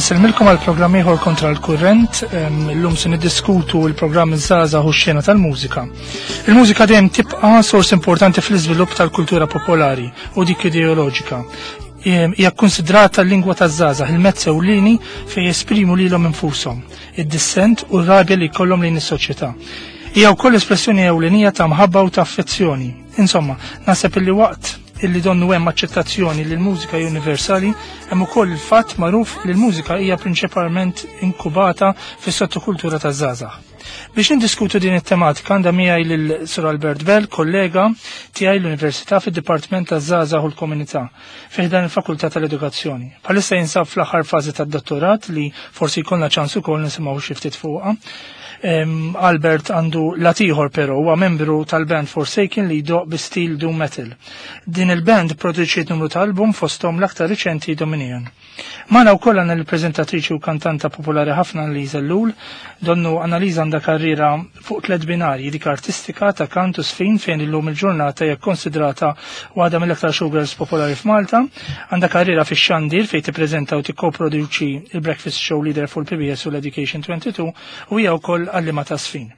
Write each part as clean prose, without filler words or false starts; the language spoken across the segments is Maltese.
Insellmilkom għal programm ieħor kontra l-kurrent, illum se niddiskutu l-programm iż-żgħażagħ u x-xena tal-mużika. Il-mużika dejjem tibqa' sors importanti fl-iżvilupp tal-kultura popolari u dik ideoloġika. Hija kkunsidrata l-lingwa taż-żgħażagħ, il-mezz ewlieni fejn jesprimu lilhom infushom, id-dissent u r-rabja li jkollhom lejn is-soċjetà. Hija wkoll espressjoni ewlenija ta' mħabba u ta' affezzjoni. Insomma, naħseb illi waqt illi donnu hemm aċċettazzjoni li l-mużika hi universali, hemm ukoll il-fatt magħruf li l-mużika hija prinċipalment inkubata fis-sottokultura taż-żgħażagħ. Biex nindiskutu din it-tematika għandha miegħi lil Sir Albert Bell, kollega tiegħi l-Università fid-Dipartiment taż-Żgħażagħ u l-Komunità fi ħdan il-Fakultà tal-Edukazzjoni. Bħalissa jinsab fl-aħħar fażi tad-dottorat li forsi jkollna ċans ukoll nisimgħu xi ftit fuqha. Albert għandu lat ieħor però huwa membru tal-band Forsaken li jdoq bi stil doom metal. Din il-band produċiet numru ta' album fosthom l-aktar riċenti Dominion. Magħna wkoll għandna l-preżentatriċi u kantanta popolari ħafna Annalisa Ellul. Donnu Annalisa għandha karriera fuq tliet binarji, dik artistika ta' kant u sfin fejn illum il-ġurnata hija kkonsidrata waħda mill-aktar showgirls popolari f'Malta. Għandha karriera fix-xandir fejn tippreżenta u tikkoproduċi il-Breakfast Show Leader fuq il-PBS u l-Education 22 u hija wkoll għalliema ta' sfin.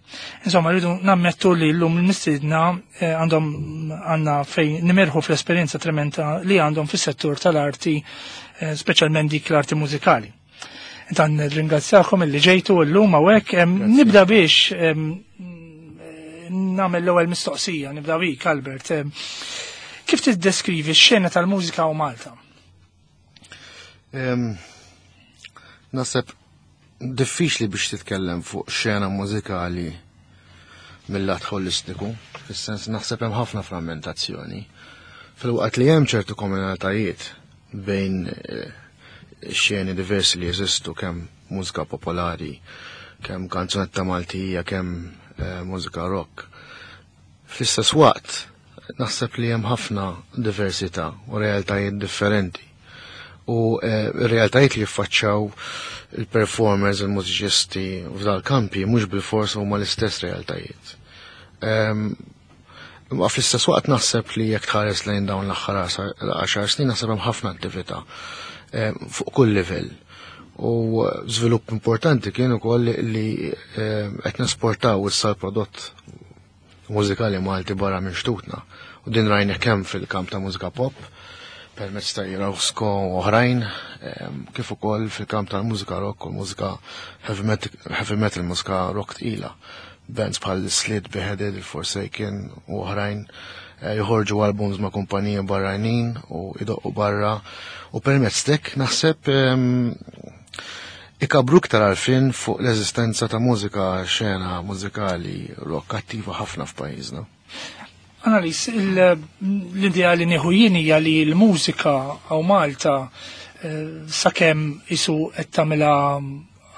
Insomma, rridu nammettu li llum il-mistiedna eh, għandhom għandna fejn nimirħu fl-esperjenza tremenda li għandhom fis-settur tal-arti Eh, speċjalment dik l-arti mużikali. Intan ringrazzjakom illi ġejtu llum hawnhekk. Nibda biex nagħmel l-ewwel mistoqsija, nibda bik Albert. Kif tiddeskrivi x-xena tal-mużika u Malta? Naseb diffiċli biex titkellem fuq xena mużikali mill-lat holistiku, fis-sens naħseb hemm ħafna frammentazzjoni. Fil-waqt li hemm ċertu komunaltajiet bejn eh, xeni diversi li jeżistu kemm mużika popolari, kemm kanzunetta Maltija, kemm eh, mużika rock. Fl-istess waqt, naħseb li hemm ħafna diversità u realtajiet differenti. U eh, realtajiet li jiffaċċaw il-performers, il-mużiċisti f'dal kampi mhux bil-fors huma l-istess realtajiet. Ehm, imma fl-istess waqt naħseb li jekk tħares lejn dawn l-aħħar 10 snin naħseb hemm ħafna attività ehm, fuq kull livell. U żvilupp importanti kien ukoll li ehm, qed nesportaw issa l-prodott mużikali Malti barra minn xtutna. U din rajna kemm fil-kamp ta' mużika pop, permezz ta' Jirowsko u oħrajn, ehm, kif ukoll fil-kamp tal-mużika rock u l-mużika heavy metal, mużika rock tqila. Bands bħal Slid, Beheaded, il-Forsaken u oħrajn eh, joħorġu albums ma' kumpaniji barranin u idoqqu barra u permezz tek naħseb ehm, ikabru iktar għarfien fuq l-eżistenza ta' mużika xena mużikali rock attiva ħafna f'pajjiżna. Analis, l-idea li nieħu jien hija li l-mużika għaw Malta eh, sakemm isu qed tagħmilha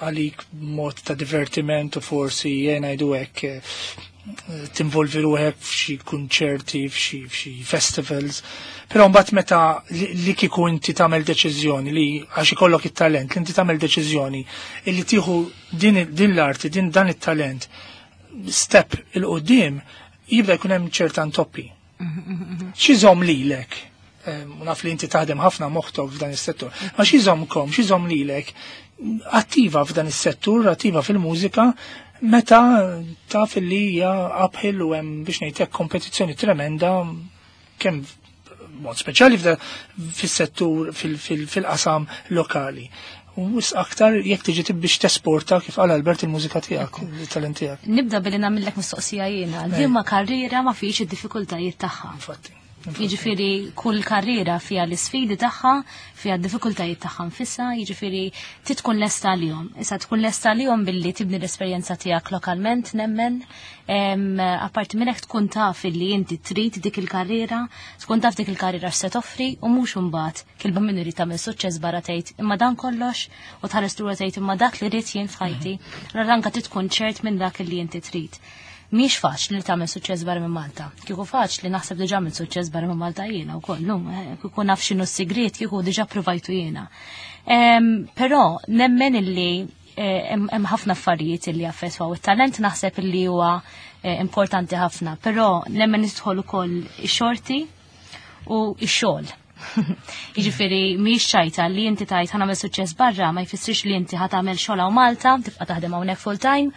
għalik mod ta' divertiment u forsi jena jgħidu hekk eh, tinvolvi ruħek f'xi kunċerti, f'xi festivals. Però mbagħad meta li kieku inti tagħmel deċiżjoni li għax ikollok it-talent, li inti tagħmel deċiżjoni illi tieħu din, din l-arti, din dan it-talent step il-qudiem jibda jkun hemm ċerta ntoppi. X'iżomm lilek? U naf li inti taħdem ħafna moħtok f'dan is-settur. Ma x'iżommkom, x'iżomm lilek attiva f'dan is-settur, attiva fil-mużika, meta taf li hija uphill u hemm biex ngħidlek kompetizzjoni tremenda kemm mod speċjali fis-settur fil-qasam lokali. U wis aktar jekk tiġi biex tesporta kif qal Albert il-mużika tiegħek, il-talent tiegħek. Nibda billi nagħmellek mistoqsija jiena, liema karriera ma fix id-diffikultajiet tagħha. Infatti. Jiġifieri kull karriera fiha l-isfidi tagħha, fiha d-diffikultajiet tagħha nfisha, jiġifieri ti tkun lesta għalihom. Issa tkun lesta għalihom billi tibni l-esperjenza tiegħek lokalment nemmen, apparti minn hekk tkun taf illi inti trid dik il-karriera, tkun taf dik il-karriera x'se toffri u mhux imbagħad kilba min irid tagħmel suċċess barra tgħid imma dan kollox u tħares lura tgħid imma dak li rrid jien f'ħajti. Allura anke trid tkun ċert minn dak li inti trid. Mhix faċli li tagħmel suċċess barra minn Malta. Kieku faċli naħseb diġà għamilt suċċess barra minn Malta jiena wkoll, eh, kieku naf x'inhu s-sigriet kieku diġà provajtu jiena. Però nemmen illi eh, hemm ħafna affarijiet illi affettwaw it-talent naħseb illi huwa eh, importanti ħafna, però nemmen nidħol ukoll ix-xorti u x-xogħol. Jiġifieri mhix ċajta li inti tajt ħa nagħmel suċċess barra ma jfissirx li inti ħa tagħmel xogħol hawn Malta, tibqa' taħdem hawnhekk full time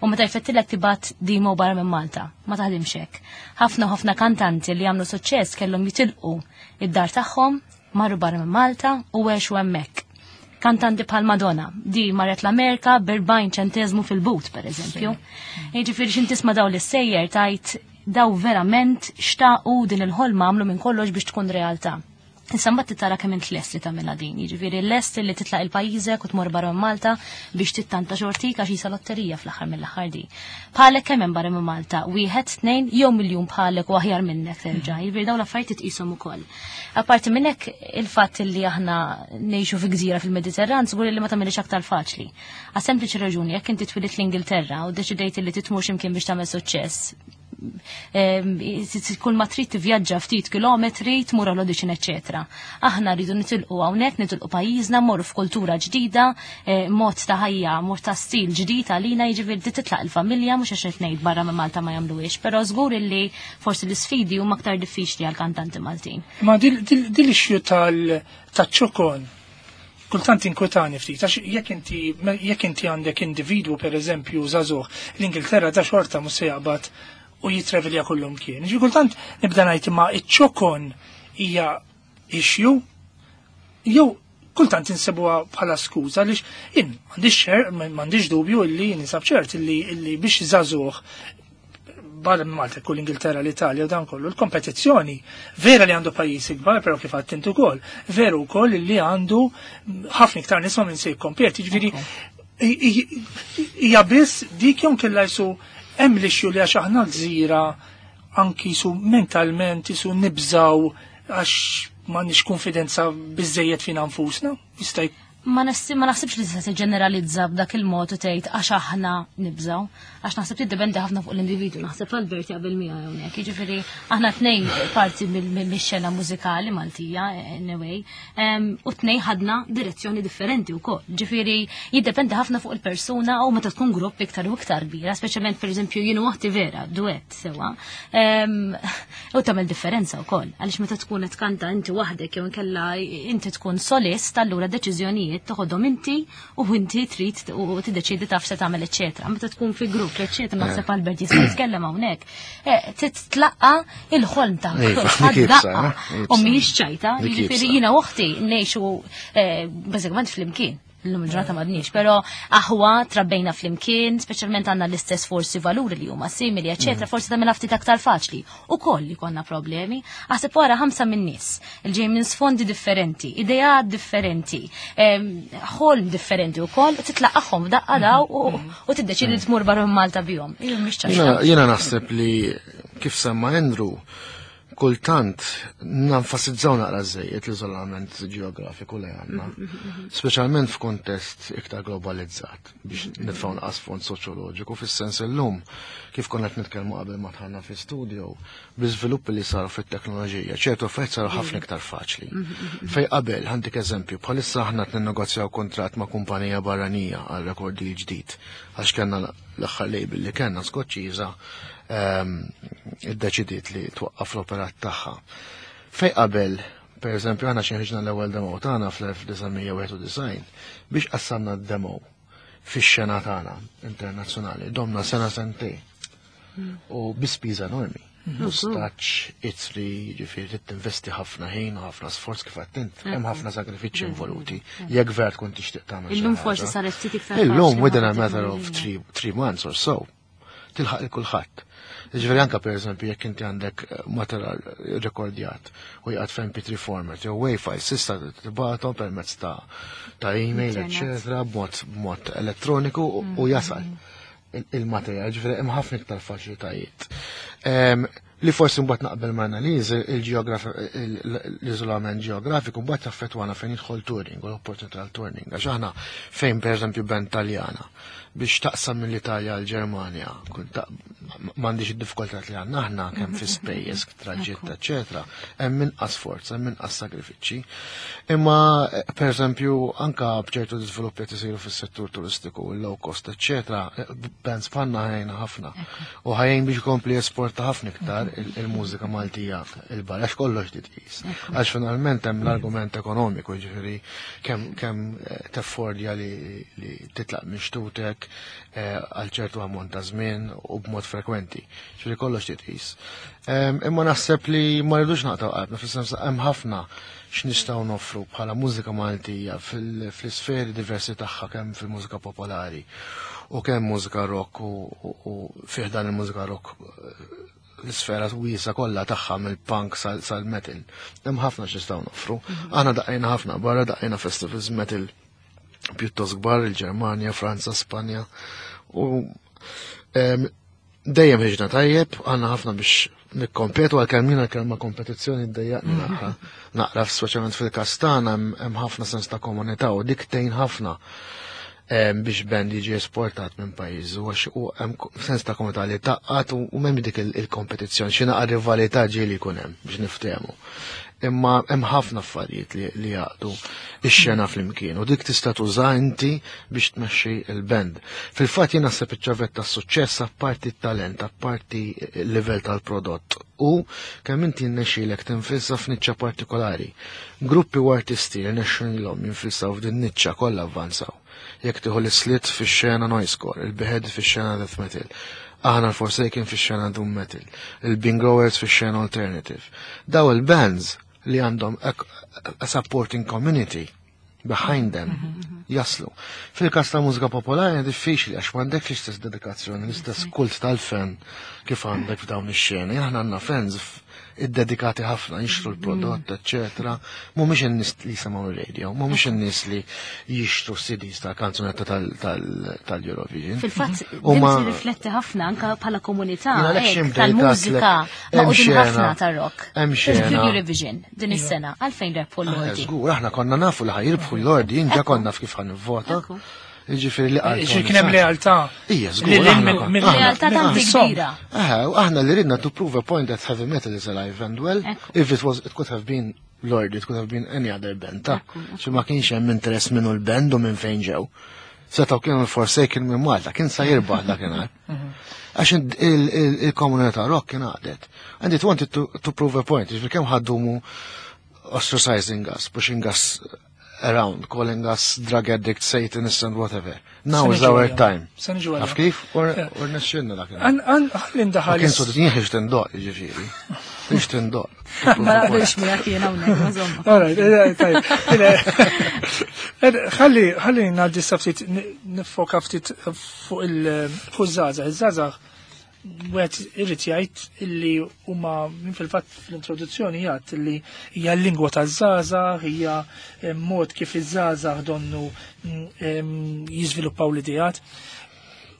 u meta jfettilek tibgħat demo barra minn Malta. Ma taħdimx hekk. Ħafna u ħafna kantanti li għamlu suċċess kellhom jitilqu id-dar tagħhom, marru barra minn Malta u għexu hemmhekk. Kantanti bħal Madonna, di marret l-Amerika b'40 ċenteżmu fil-but, per eżempju. Jiġifieri x'in tisma' daw l-sejjer tajt daw verament xtaqu din il-ħolma, għamlu minn kollox biex tkun realtà. Issa mbagħad tara kemm int lest li tagħmilha din, jiġifieri lest li titlaq il-pajjiżek u tmur barra minn Malta biex tittanta xortik, għax jisa lotterija fl-aħħar mill-aħħar di. Bħalek kemm hemm barra minn Malta, wieħed, tnejn jew miljun bħalek u aħjar minnek terġa', jiġifieri dawn l-affarijiet titqishom ukoll. Apparti minn hekk, il-fatt li aħna ngħixu fi gżira fil-Mediterran żgur li ma tagħmilx aktar faċli. Għas sempliċi raġuni, jekk inti twilit l-Ingilterra u deċidejt li titmur x'imkien biex tagħmel suċċess, kull ma trid tivvjaġġa ftit kilometri, tmur għal audition, eċetera. Aħna rridu nitilqu hawnhekk, nitilqu pajjiżna, mmorru f'kultura ġdida, mod ta' ħajja, mod ta' stil ġdid għalina, jiġifieri titlaq il-familja, mhux għax qed ngħid barra minn Malta ma jagħmluhiex, però żgur illi forsi l-isfidi huma aktar diffiċli għal kantanti Maltin. Ma dil issue tal-ċokon kultant inkwetani ftit, għax jekk inti għandek individwu, per eżempju, żagħżugħ, l-Ingilterra ta' xorta mhux se jaqbad u jitravelja kullum kien. Ġi kultant nibda ngħid, ma iċ-ċokon hija issue jew kultant insibuha bħala skuża, għaliex jien m'għandix ċer, m'għandix dubju illi nisab ċert illi biex żagħżugħ barra minn Malta, kull Ingilterra, l-Italja u dan kollu, l-kompetizzjoni vera li għandu pajjiż ikbar, però kif għadt intu ukoll, veru wkoll li għandu ħafna iktar nies ma' minn se jikkompeti, ġifieri hija biss dik jew kella jisu hemm l-issue li għax aħna gżira anki su mentalment jisu nibżaw għax m'għandniex konfidenza biżejjed fina nfusna, jista' Ma naħsibx li tista' tiġġeneralizza b'dak il-mod u tgħid għax aħna nibżgħu, għax naħseb tiddependi ħafna fuq l-individwu, naħseb Albert jaqbel miegħi hawnhekk. Jiġifieri aħna tnejn parti mix-xena mużikali Maltija anyway, u tnejn ħadna direzzjoni differenti wkoll. Ġifieri jiddependi ħafna fuq il-persuna u meta tkun grupp iktar u iktar kbira, speċjalment pereżempju jien u oħti vera, duett sewa. U tagħmel differenza wkoll, għaliex meta tkun qed tkanta inti waħdek jew inkella inti tkun solist, allura deċiżjonijiet toħodhom inti u inti trid u tiddeċiedi taf se tagħmel, eċetera. Meta tkun fi grupp, eċetera, naħseb Albert jista' jitkellem hawnhekk. Titlaqqa il-ħolm ta' kulħadd Dik iebsa, daqqa. Iebsa. U mhijiex ċajta, Dik jiġifieri iebsa. jiena u oħti ngħixu bażikament flimkien. Illum il-ġurnata m'għadniex, però aħwa trabbejna flimkien, speċjalment għandna l-istess forsi valuri li huma simili, eċetera, forsi tagħmel ftit aktar faċli. Ukoll li konna problemi, aħseb wara 5 minn nies, il-ġej minn sfondi differenti, ideat differenti, ħolm differenti wkoll, titlaqahom daqqa daw u tiddeċidi tmur barra minn Malta bihom. Jien mhix ċajta. Jiena naħseb li kif semma Andrew, kultant nanfasizzaw naqra żejjed l-iżolament ġeografiku li għandna, speċjalment f'kontest iktar globalizzat, biex nitfgħu naqas fond soċjoloġiku, fis-sens illum kif konna qed nitkellmu qabel ma dħalna fi studio, bl-iżviluppi li saru fit-teknoloġija, ċertu affarijiet saru ħafna iktar faċli. Fej qabel, ħantik eżempju, bħalissa aħna qed ninnegozjaw kuntratt ma' kumpanija barranija għal record deal ġdid, għax kellna l-aħħar label li kellna Skoċċiża iddeċidiet li twaqqaf l-operat tagħha. Fej qabel, per eżempju, aħna xi ħriġna l-ewwel demo tagħna fl-1991, biex qassamna d-demo fix-xena tagħna internazzjonali, domna sena sentej. U bi spiża enormi. Mustaċ, itri, ġifieri trid tinvesti ħafna ħin u ħafna sforz kif għedt int. Hemm ħafna sagrifiċċji involuti. Jekk vera tkun tixtieq tagħmel xi Illum ħaġa. forsi saret ftit iktar Illum faċli within a ma' matter of teknoloġija. 3 months or so, tilħaq il kulħadd. Ġifieri anka per eżempju jekk inti għandek materjal rekordjat u jqgħad f'MP3 format jew WAV file, tista' tibgħathom permezz ta' email, Internet. eċetera, b'mod elettroniku u jasal il-materjal, ġifieri hemm ħafna iktar faċilitajiet. Li forsi mbagħad naqbel ma' analiż l-iżolament ġeografiku mbagħad taffettwana fejn jidħol touring u l-opportunità tal touring. Għax aħna fejn pereżempju band Taljana biex taqsam mill-Italja għal Ġermanja, m'għandix id-diffikultà li għandna aħna kemm fi spejjeż, traġitt, eċetera, hemm inqas forza, hemm inqas sagrifiċċji. Imma pereżempju anka b'ċertu żviluppi qed isiru fis-settur turistiku, il-low cost, eċetera, bands bħalna ħajna ħafna. U ħajjin biex ikompli esporta ħafna iktar. dwar il-mużika Maltija il-barra, għax kollox titqis. Għax finalment hemm l-argument ekonomiku, ġifieri kemm teffordja li titlaq minn xtutek għal ċertu ammont ta' żmien u b'mod frekwenti. Ġifieri kollox titqis. Imma naħseb li ma rridux naqtaw qalbna, fis-sens hemm ħafna x'nistgħu noffru bħala mużika Maltija fl-isferi diversi tagħha, kemm fil-mużika popolari u kemm mużika rock u fih dan il-mużika rock l-isfera wiesa kollha tagħha mill-punk sal-metal. Hemm ħafna x'nistgħu noffru. Aħna daqqejna ħafna barra, daqqejna festivals metal pjuttost kbar, il-Ġermanja, Franza, Spanja, u dejjem ħiġna tajjeb, għandna ħafna biex nikkompetu, għalkemm jiena kelma kompetizzjoni ddejjaqni naqra. Naqra speċjalment fil-każ tagħna hemm ħafna sens ta' komunità u dik tgħin ħafna biex band jiġi esportat minn pajjiż, u għax u hemm sens ta' komunità li taqqat u m'hemmx dik il-kompetizzjoni, xi naqra rivalità ġieli jkun hemm biex niftehmu. Imma hemm ħafna affarijiet li jaqdu ix-xena flimkien u dik tista' tuża inti biex tmexxi l-band. Fil-fatt jien naħseb iċ-ċavetta tas-suċċess, apparti t-talent, apparti il-livell tal-prodott, u kemm inti nnexxielek tinfilsa f'niċċa partikolari. Gruppi u artisti li nexxilhom jinfilsaw f'din niċċa kollha avvanzaw. Jekk tieħu l-Slit fix-xena noisecore, il-Behead fix-xena death metal, aħna l-Forsaken fix-xena doom metal, il-Bingoers fix-xena alternative. Daw il-bands li għandhom a supporting community behind them jaslu. Fil-kas ta' mużika popolari diffiċli għax m'għandekx l-istess dedikazzjoni, l-istess kult tal-fan kif għandek f'dawn ix-xeni. Aħna għandna fans iddedikati ħafna, jixtru l-prodott, eccetera. Mhumiex in-nies li jisimgħu ir-radio, mhumiex in-nies li jixtru CDs tal-kanzunetta tal-Eurovision. Fil-fatt, din tirrifletti ħafna anka bħala komunità, Jiena għalhekk hekk, xi mbdejt tal-mużika għatlek, hemm maqudin xena. ħafna tar-rock. Hemm xena. Fil-Eurovision din is-sena, għalfejn rebħu l-Lordi? Żgur, aħna konna nafu li ħa jirbħu l-Lordi, jien ġa konna naf kif ħa nivvota. Jiġifieri li qal Ġifieri Tony kien hemm Sant. lealtà. Ija, żgur, Li lil aħna konna- aħna- Lealtà tant kbira. U aħna li ridna to prove a point that heavy metal is alive and well. If it was, it could have been Lord, it could have been any other band, ta' xi ma kienx hemm interess minnu l-band u minn fejn ġew. Setgħu kienu l-Forsaken minn Malta, kien sa jirbaħ dakinhar. Għax il-komunità rock kien għadet. And it wanted to prove a point, ġifieri kemm ħaddumu ostracizing us, pushing us around, calling us drug addicts, satanists and whatever. Now is our time. Se niġu Taf kif? U rnexxilna dakinhar. Ħalli ndaħal. Kien sodit jien ħiġt indoq, ġifieri. Ħiġt indoq. Ma naqbilx miegħek jien hawnhekk, ma żomma. All right, tajb. Ħalli ngħaddi sa ftit nifoka ftit fuq iż-żgħażagħ. Iż-żgħażagħ wieħed irid jgħid illi huma minn fil-fatt fl-introduzzjoni jgħid illi hija l-lingwa taż-żgħażagħ, hija mod kif iż-żgħażagħ donnu jiżviluppaw l-ideat.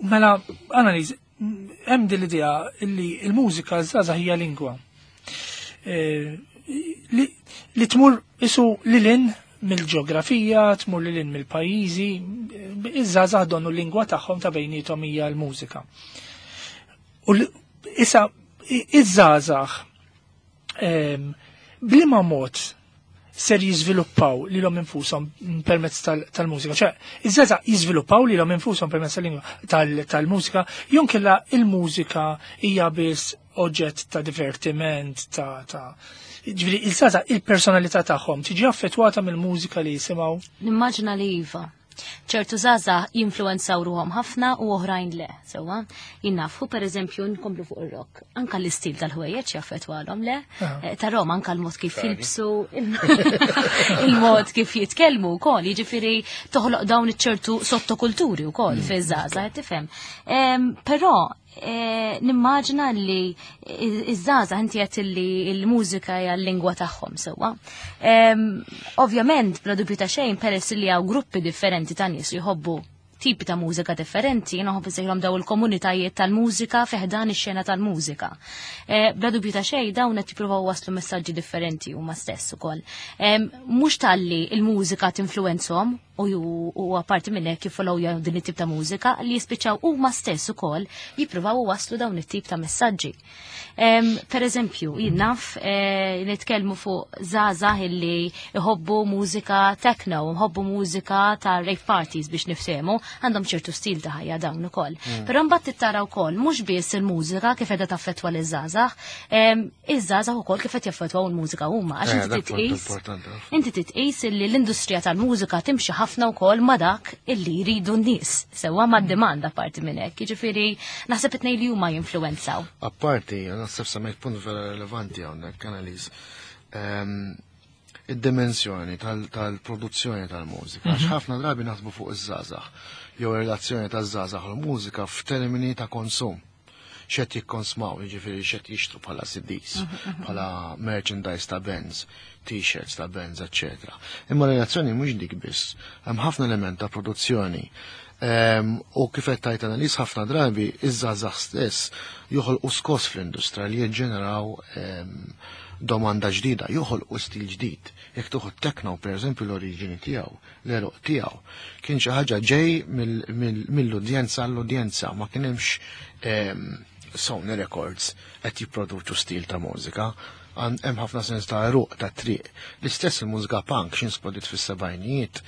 Mela, analiż, hemm din l-idea illi l-mużika żgħażagħ hija lingwa. Li tmur isu lilin mill-ġeografija, tmur lilin mill-pajjiżi, iż-żgħażagħ donnu l-lingwa tagħhom ta' bejniethom hija l-mużika. U issa iż-żgħażagħ bliema mod ser jiżviluppaw lilhom infushom permezz tal-mużika. ċe, iż-żgħażagħ jiżviluppaw lilhom infushom permezz tal-lingwa tal-mużika, jew inkella il-mużika hija biss oġġett ta' divertiment, ta' ġifieri il-żgħażagħ il-personalità tagħhom tiġi affettwata mill-mużika li jisimgħu? Nimmaġina li iva. ċertu żgħażagħ jinfluwenzaw ruhom ħafna u oħrajn le, sewwa. Jien nafu, per eżempju, nkomplu fuq ir-rock. Anka l-istil tal-ħwejjeġ jaffettwalhom, le? Tarahom anka l-mod kif jilbsu, il-mod kif jitkellmu wkoll, jiġifieri toħloq dawn iċ-ċertu sottokulturi wkoll fiż-żgħażagħ, qed tifhem. Però nimmaġina li iż-żgħażagħ, inti qed li l-mużika hija l-lingwa tagħhom, sewwa. Ovvjament, bla dubju ta' xejn, peress li hawn gruppi differenti ta' nies li jħobbu tipi ta' mużika differenti, jiena nħobb insejħilhom daw il-komunitajiet tal-mużika fi ħdan ix-xena tal-mużika. Bla dubju ta' xejn, dawn qed jippruvaw waslu messaġġi differenti huma stess ukoll. Mhux talli il-mużika tinfluwenzhom, u apparti minn hekk jiffollowjaw din it-tip ta' mużika li jispiċċaw huma stess ukoll jippruvaw waslu dawn it-tip ta' messaġġi. Per eżempju, jien naf nitkellmu fuq żgħażagħ illi jħobbu mużika techno, jħobbu mużika ta' rave parties biex niftehmu, għandhom ċertu stil ta' ħajja dawn ukoll. Però mbagħad tittara wkoll mhux biss il-mużika kif qiegħda taffettwa liż-żgħażagħ, iż-żgħażagħ ukoll kif qed jaffettwaw il-mużika huma għax inti titqis. Inti titqis illi l-industrija tal-mużika timxi ħafna wkoll ma' dak illi jridu n-nies, sewwa mad-demanda parti minn hekk. Jiġifieri naħseb it-tnejn li huma jinfluwenzaw. Apparti, naħseb semmejt punt vera relevanti hawnhekk, Annalise. Id-dimensjoni tal-produzzjoni tal-mużika. Għax ħafna drabi naħsbu fuq iż-żgħażagħ jew ir-relazzjoni taż-żgħażagħ u l-mużika f'termini ta' konsum. X'qed jikkonsmaw, jiġifieri x'qed jixtru bħala CDs, bħala merchandise ta' bands, t-shirts ta' bands, eċċetera. Imma relazzjoni mhux dik biss, hemm ħafna element ta' produzzjoni. U kif qed tajt Annalise ħafna drabi iż-żgħażagħ stess joħolqu skos fl-industrija li jiġġeneraw domanda ġdida, joħolqu stil ġdid. Jekk tuħu techno, per eżempju, l-oriġini tiegħu, l-eruq tiegħu, kien xi ħaġa ġej mill-udjenza għall-udjenza, ma kien hemmx Sony Records qed jipproduċu stil ta' mużika. Hemm ħafna sens ta' eruq ta' triq. L-istess il-mużika punk x'in splodit fis-sebgħinijiet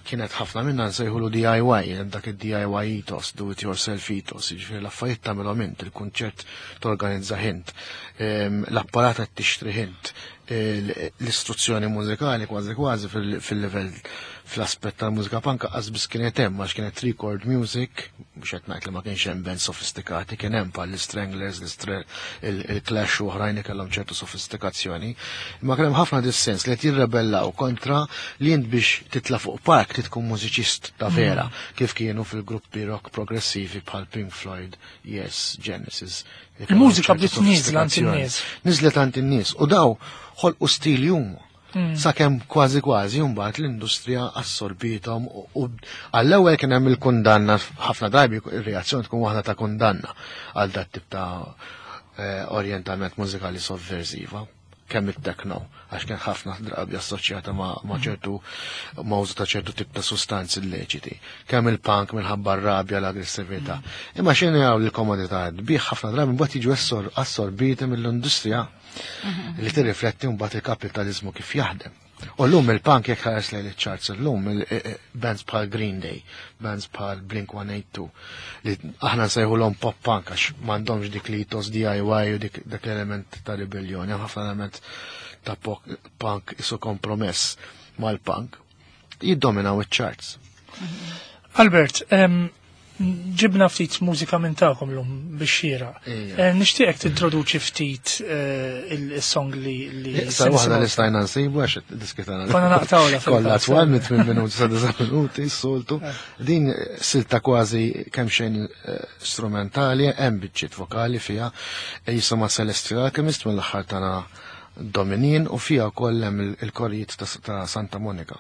kienet ħafna minna nsejħulu DIY, hemm dak id-DIY ethos, do it yourself ethos, jiġifieri l-affarijiet tagħmilhom int, il-kunċert torganizza int, l-apparat qed tixtri int, l-istruzzjoni mużikali kważi kważi fil-livell fl-aspett tal-mużika punk qas biss kienet hemm għax kienet record music, mhux qed ngħid li ma kienx hemm band sofistikati, kien hemm bħal l-Stranglers, il-Clash u oħrajn li kellhom ċertu sofistikazzjoni. Imma kien hemm ħafna dissens li qed jirrebellaw kontra li int biex titla' fuq park trid tkun mużiċist ta' vera, kif kienu fil-gruppi rock progressivi bħal Pink Floyd, Yes, Genesis. Li kellhom Il-mużika ċertu bdiet nieżla għand sofistikazzjoni. in-nies. Niżlet għand in-nies u daw ħolqu stil huma. Sakemm kważi kważi mbagħad l-industrija assorbithom u għall-ewwel kien hemm il-kundanna, ħafna drabi ir-reazzjoni tkun waħda ta' kundanna għal dat tip ta' orjentament mużikali sovversiva, kemm it-techno, għax kien ħafna drabi assoċjata ma' ċertu ma' użu ta' ċertu tip ta' sustanzi illeċiti, kemm il-punk minħabba r-rabja l-aggressività. Imma xejn jaraw l-komodità bih ħafna drabi mbagħad jiġu assorbiti mill-industrija li tirrifletti mbagħad il-kapitalizmu kif jaħdem. U llum il-punk jekk ħares lejn iċ-charts illum, bands bħal Green Day, bands bħal Blink 182, li aħna nsejħulhom pop punk għax m'għandhomx dik li ethos DIY u dak l-element ta' ribellioni, hemm ħafna element ta' punk isu kompromess mal-punk, jiddominaw iċ-charts. Albert, ġibna ftit mużika minn tagħkom llum biex xira. Nixtieqek tintroduċi ftit il-song li Sa waħda se li stajna nsibu għax diskitana. Konna naqtawla fil-fatt. Kollha twal minn 8 minuti sa 9 minuti s-soltu. Din silta kważi kemm xejn strumentali, hemm biċċiet vokali fiha, jisimha Celestial Alchemist mill-aħħar tagħna Dominin u fiha wkoll hemm il-korijiet ta' Santa Monica.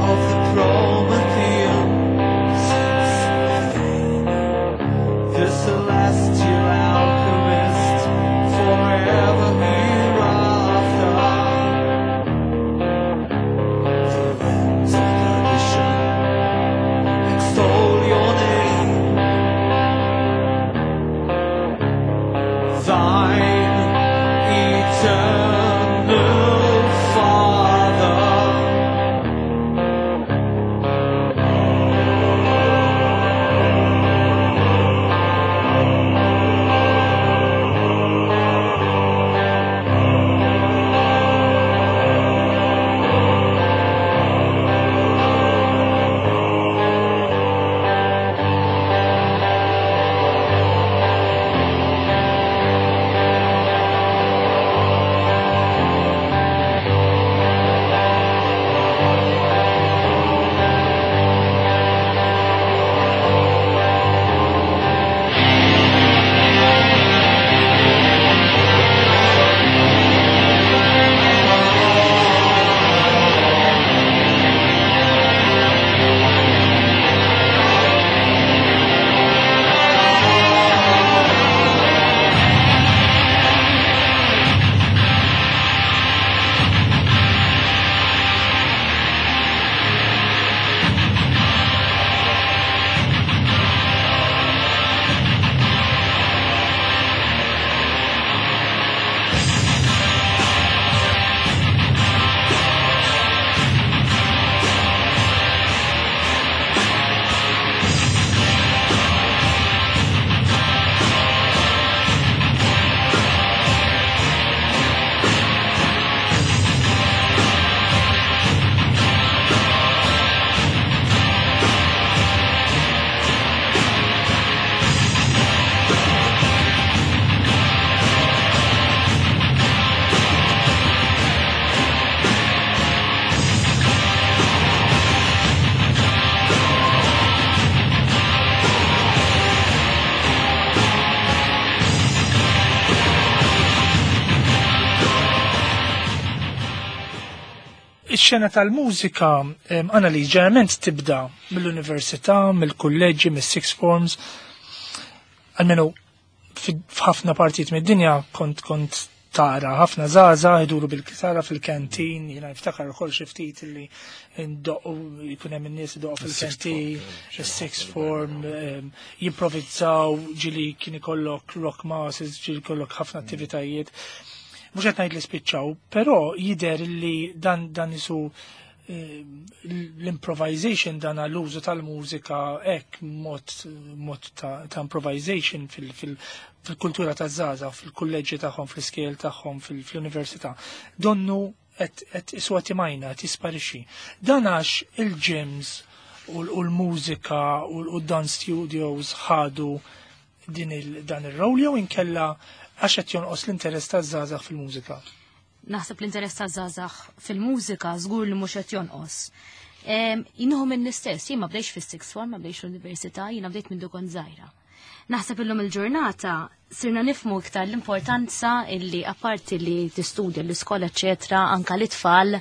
Of the Promethean sense of fame. Ix-xena tal-mużika Annalise ġeneralment tibda mill-università, mill-kulleġġi, mis-sixth forms. Almenu f'ħafna partijiet mid-dinja kont kont tara ħafna żgħażagħ iduru bil-kitara fil-kantin, jiena niftakar ukoll xi ftit li ndoqqu jkun hemm in-nies idoqqu fil-kantin, is-sixth form, jimprovizzaw, ġieli kien ikollok rock masses, ġieli ikollok ħafna attivitajiet. Mhux qed ngħid li spiċċaw, però jidher li dan dan isu l-improvisation dan l-użu tal-mużika hekk mod mod ta', ta improvisation fil-kultura ta' żgħażagħ, fil-kulleġġi tagħhom, fl-iskejjel tagħhom, fil-università. Donnu qed isu qed imajna, qed jisparixxi. Dan għax il-gyms u l-mużika u d-dance studios ħadu din il, dan ir-rol jew inkella għax qed jonqos l-interess taż-żgħażagħ fil-mużika. Naħseb l-interess taż-żgħażagħ fil-mużika żgur li mhux qed jonqos. Jinuhu minn l-istess, jien ma bdejx fis-sixth form, ma bdejx l-università, jiena bdejt minn kont żgħira. Naħseb illum il-ġurnata sirna nifmu iktar l-importanza illi apparti li tistudja l-iskola eċetera, anka l-itfal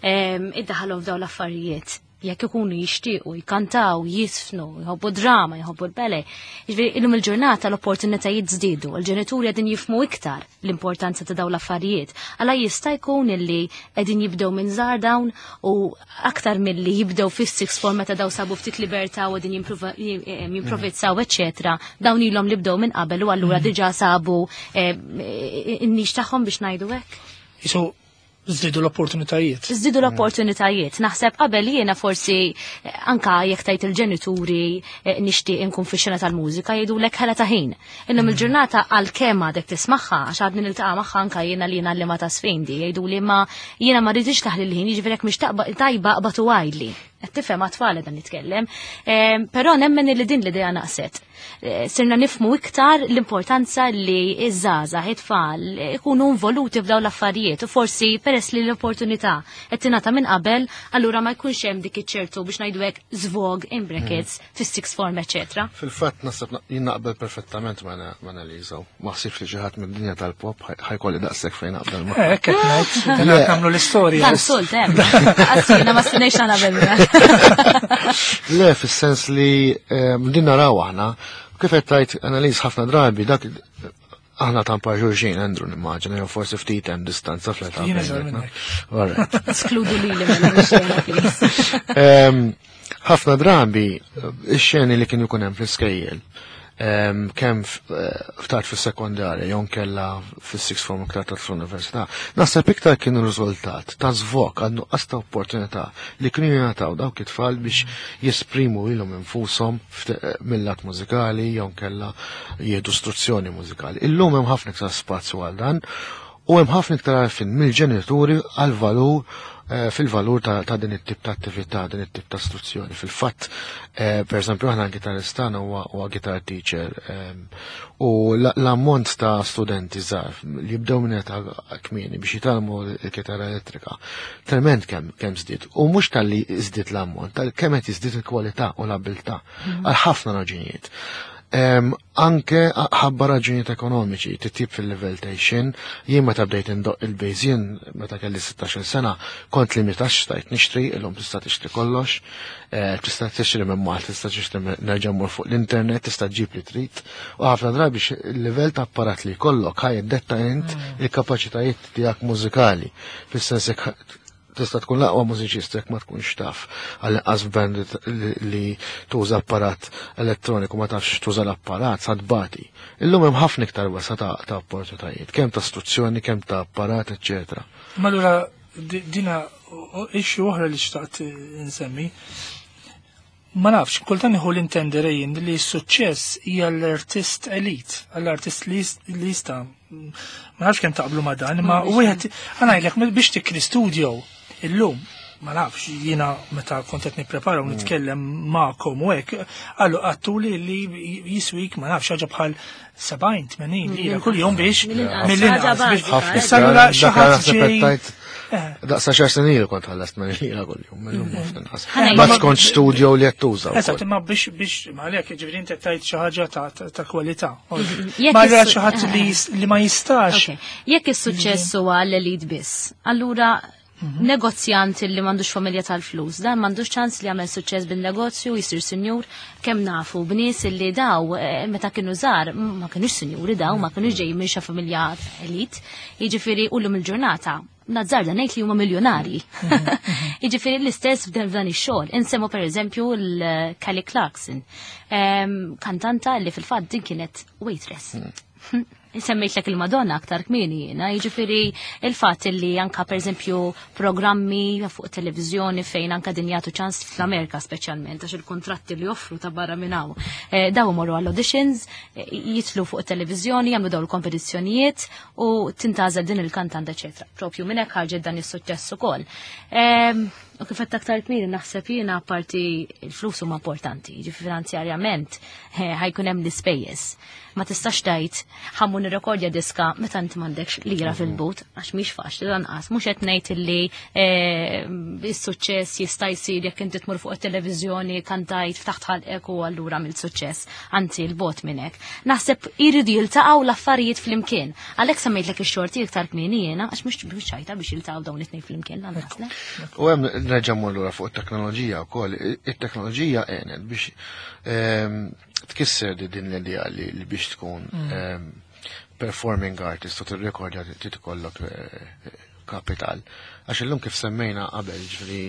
iddaħħalhom f'dawn l-affarijiet. Jekk ikunu jixtiequ, jkantaw, jisfnu, jħobbu drama, jħobbu l-ballet. Jiġifieri illum il-ġurnata l-opportunitajiet żdiedu, il-ġenituri qegħdin jifmu iktar l-importanza ta' dawn l-affarijiet. Alla jista' jkun illi qegħdin jibdew minn żgħar dawn u aktar milli jibdew fis-sixth form meta daw sabu ftit libertà u qegħdin jimprovizzaw eċetera, dawn ilhom li bdew minn qabel u allura diġà sabu in-niche tagħhom biex ngħidu hekk. Isu żdiedu l-opportunitajiet. Żdiedu l-opportunitajiet. Naħseb qabel jiena forsi anka jekk tajt il-ġenituri nixtieq inkun fix-xena tal-mużika jgħidulek ħela ta' ħin. Illum il-ġurnata għalkemm għadek tismagħha għax għadni niltaqa' magħha anka jiena li jiena li ma ta' sfindi jgħiduli ma jiena ma rridix taħli l-ħin jiġifieri jekk mhix taqba tajba qbad u għidli. Qed tifhem għat-tfal dan nitkellem. Però nemmen li din l-idea naqset. Sirna nifmu iktar l-importanza li iż-żgħażagħ, it-tfal ikunu involuti f'dawn l-affarijiet u forsi peress li l-opportunità qed tingħata minn qabel, allura ma jkunx hemm dik iċ-ċertu biex ngħidu hekk żvog in brackets fis-sixth form, eċetera. Fil-fatt naħseb jien naqbel perfettament ma' Annalisa. Ma ħsibx li xi ħadd mid-dinja tal-pop ħajkolli daqshekk fejn naqbel ma'. Hekk qed ngħid, qed nagħmlu l-istorja. Dan sult hemm. Għasina ma stennejx naqbel. Le, fis-sens li din naraw aħna, kif qed tgħid Annalise ħafna drabi dak aħna ta' xulxin, Andrew, nimmaġina, jew forsi ftit hemm distanza fl-età. Jiena żgħar minnek. All right. Eskludu lili mela mix-xena, please. Ħafna drabi ix-xeni li kienu jkun hemm fl-iskejjel, kemm ftat fis-sekondarja jew kella fis-sixth form iktar tard fl-università, naħseb iktar kienu riżultat ta' żvog għal nuqqas ta' opportunità li kienu jingħataw dawk it-tfal biex jesprimu lilhom infushom mill-lat mużikali jew kella jieħdu istruzzjoni mużikali. Illum hemm ħafna iktar spazju għal dan u hemm ħafna iktar għarfien mill-ġenituri għal valur fil-valur ta' din it-tip ta' attività, din it-tip ta' istruzzjoni. Fil-fatt, per eżempju, aħna gitaristana huwa guitar teacher u l-ammont ta' studenti żgħar li jibdew minn età kmieni biex jitgħallmu l-kitarra elettrika, trement kemm żdied. U mhux talli żdied l-ammont, tal kemm qed jiżdied il-kwalità u l-abilità għal ħafna raġunijiet. Anke ħabba raġunijiet ekonomiċi, titjib fil-livell ta' xin, jien meta bdejt indoq il-bass jien meta kelli 16 sena, kont limitat xtajt nixtri, illum tista' tixtri kollox, tista' tixtri minn Malta, tista' tixtri minn nerġa' mmur fuq l-internet, tista' ġib li trid, u ħafna drabi il-livell ta' apparat li jkollok ħaj iddetta int il-kapaċitajiet tiegħek mużikali, fis-sens jekk tista' tkun l-aqwa mużiċista jekk ma tkunx taf għall-inqas band li tuża apparat elettroniku ma tafx tuża l-apparat sa tbati. Illum hemm ħafna iktar wesa ta' opportunitajiet, kemm ta' istruzzjoni, kemm ta' apparat, eċċetera. Ma allura dina issue oħra li xtaqt insemmi. Ma nafx, kultant nieħu l-intenderejn li s-suċċess hija l-artist elit, l-artist li jista'. Ma nafx kemm taqblu ma' dan, imma wieħed ngħidlek biex tikri studio illum, ma nafx, jiena meta kont qed nipprepara u nitkellem magħkom u hekk, qallu qattuli li jiswik ma nafx ħaġa bħal 70-80 lira kuljum biex Mill-inqas. mill-inqas Ħaġa biex bażika, Issa allura Dak xi ħadd naħseb ġej qed tgħid Daqsa xar snin ilu kont ħallast minn lira kuljum, millum ħafna inqas. Ħana Ma jgħid- tkontx studio li qed tuża wkoll. Eżatt, imma biex ma għalhekk jiġifieri inti qed tgħid xi ħaġa ta' kwalità. Jekk Ma allura xi ħadd li ma jistax. Ok. Jekk is-suċċess huwa l-elit biss, allura Negozjant li m'għandux familja tal-flus, dan m'għandux ċans li jagħmel suċċess bin-negozju, jsir sinjur, kemm nafu b'nies li daw meta kienu żgħar ma kinux sinjuri daw, ma kinux ġejjin minn xi familja elit, jiġifieri ullum il-ġurnata nazzarda ngħid li huma miljonari. Jiġifieri l-istess f'dan ix-xogħol. Insemmu pereżempju l-Kelly Clarkson, kantanta li fil-fatt din kienet waitress. Semmejtlek il-Madonna aktar kmieni jiena, jiġifieri il-fatt li anka pereżempju programmi fuq televizjoni fejn anka din jagħtu ċans fl-Amerika speċjalment għax il-kontratti li joffru ta' barra minn hawn. Daw imorru għall-auditions, jitlu fuq televizjoni, jagħmlu daw il-kompetizzjonijiet u tintgħażel din il-kantanta eċetera. Propju minn hekk ħarġet dan is-suċċess ukoll. U kif qed aktar kmieni naħseb jiena apparti il-flus huma importanti, jiġifieri finanzjarjament ħajkun hemm l-ispejjeż. Ma tistax tgħid ħammu nirrekordja diska meta inti m'għandekx lira fil-but, għax mhix faċli lanqas. Mhux qed ngħid illi is-suċċess jista' jsir jekk inti tmur fuq it-televiżjoni kantajt ftaħt ħalqek u allura mill-suċċess, anzi l-bot minn hekk. Naħseb iridu jiltaqgħu l-affarijiet flimkien. Għalhekk semmejtlek ix-xorti iktar kmieni jiena għax mhux ċajta biex jiltaqgħu dawn it-tnejn flimkien lanqas, le? U hemm nerġa' mmur lura fuq it-teknoloġija wkoll. It-teknoloġija għenet biex tkisser din l-idea li biex tkun performing artist u tirrekordja trid ikollok kapital. Għax illum kif semmejna qabel, ġifieri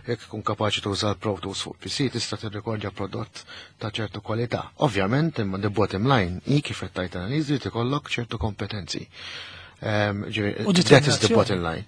jekk tkun kapaċi tuża l-Pro Tools fuq PC tista' tirrekordja prodott ta' ċertu kwalità. Ovvjament, imma the bottom line hi kif qed tgħid analiżi li tikollok ċertu kompetenzi. U That is the determinazzjoni. bottom line.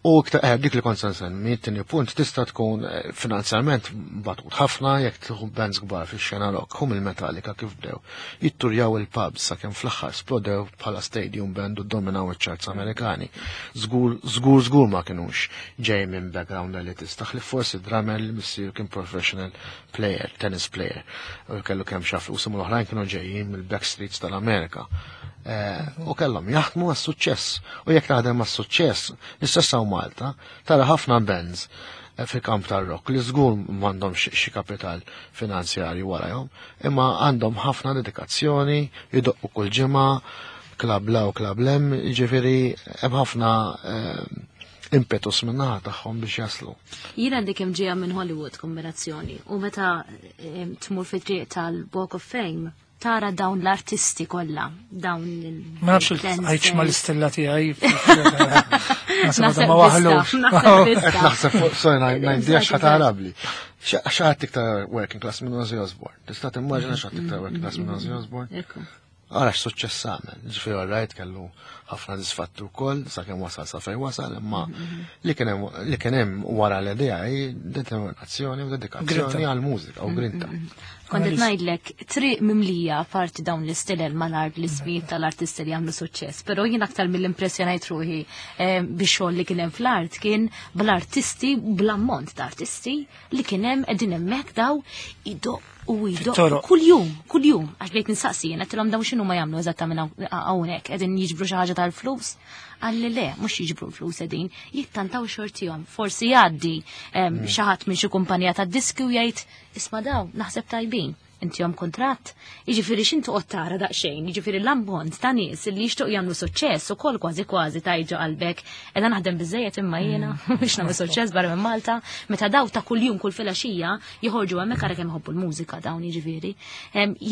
U iktar, dik li kont se nsemmi, it-tieni punt tista' tkun finanzjarment batut ħafna jekk tieħu bands kbar fix-xena rock, hum il-Metallica kif bdew. Jitturjaw il-pubs sakemm fl-aħħar splodew bħala stadium band u dominaw iċ-charts Amerikani. Żgur, żgur, żgur ma kinux ġej minn background elitista, ħlief forsi drummer li missier kien professional player, tennis player. U kellu kemm xi flus, imma l-oħrajn kienu ġejjin mill-backstreets tal-Amerika. U kellhom jaħdmu għas-suċċess. U jekk taħdem għas-suċċess, l-istess hawn Malta, tara ħafna bands fil-kamp tar-rock li żgur m'għandhomx xi kapital finanzjarju warahom, imma għandhom ħafna dedikazzjoni, jidoqqu kull ġimgħa, klab la u klab lem, jiġifieri hemm ħafna impetus min-naħa tagħhom biex jaslu. Jiena għandi kemm ġejja minn Hollywood kombinazzjoni u meta tmur fit-triq tal-Walk of Fame tara dawn l-artisti kollha, dawn il- Ma nafx il-dancers. il-għajx ma l-istella tiegħi. Naħseb Naħseb ma waħlux. tista', naħseb tista'. Naħseb fuq, sorry, ngħidli għax ħadd ħarabli. X'ħadd iktar working class minn Ozzy Osbourne? Tista' timmaġina x'ħadd iktar working class minn Ozzy Osbourne? Ekku. Ara x'suċċess għamel. Ġifieri all right kellu ħafna disfatti wkoll sakemm wasal sa fejn wasal, imma li kien hemm wara l-idea hi determinazzjoni u dedikazzjoni Grinta. għall-mużika u grinta. Kont qed ngħidlek triq mimlija parti dawn l-istilel mal-art l-ismijiet tal-artisti li għamlu suċċess, però jien aktar mill-impressjonajt ruħi bix-xogħol li kien hemm fl-art kien bl-artisti, bl-ammont ta' artisti li kien hemm qegħdin hemmhekk daw idoq u idoq Fit-toroq. kuljum, kuljum, għax bdejt nistaqsi jien għedtilhom dawn x'inhu ma jagħmlu eżattament hawnhekk, qegħdin jiġbru xi ħaġa tal-flus. Għalli le, mhux jiġbru l-flus qegħdin, jittantaw xortihom. Forsi jgħaddi xi ħadd minn xi kumpanija tad-diski u jgħid isma' daw, naħseb tajbin. Intihom kontratt, jiġifieri x'intu qod tara daqsxejn, jiġifieri l-ammont ta' nies li jixtiequ jagħmlu suċċess ukoll kważi kważi tajġu qalbek, qiegħda naħdem biżejjed imma jiena biex nagħmel suċċess barra minn Malta, meta daw ta' kuljum kull filgħaxija joħorġu hemmhekk ara kemm iħobbu l-mużika dawn jiġifieri.